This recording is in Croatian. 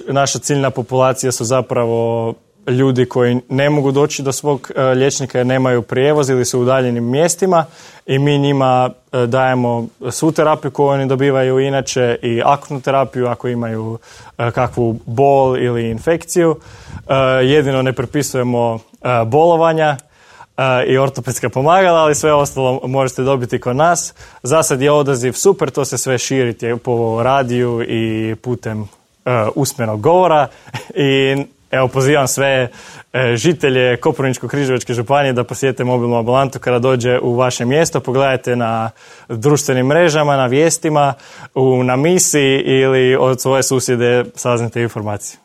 Naša ciljna populacija su zapravo ljudi koji ne mogu doći do svog liječnika jer nemaju prijevoz ili su u udaljenim mjestima i mi njima dajemo svu terapiju koju oni dobivaju inače i akutnu terapiju ako imaju kakvu bol ili infekciju. Jedino ne prepisujemo bolovanja i ortopedska pomagala, ali sve ostalo možete dobiti kod nas. Za sad je odaziv super, to se sve širi po radiju i putem usmenog govora i evo pozivam sve žitelje Koprivničko-križevačke županije da posjete mobilnu ambulantu kada dođe u vaše mjesto. Pogledajte na društvenim mrežama, na vijestima, na misi ili od svoje susjede saznate informacije.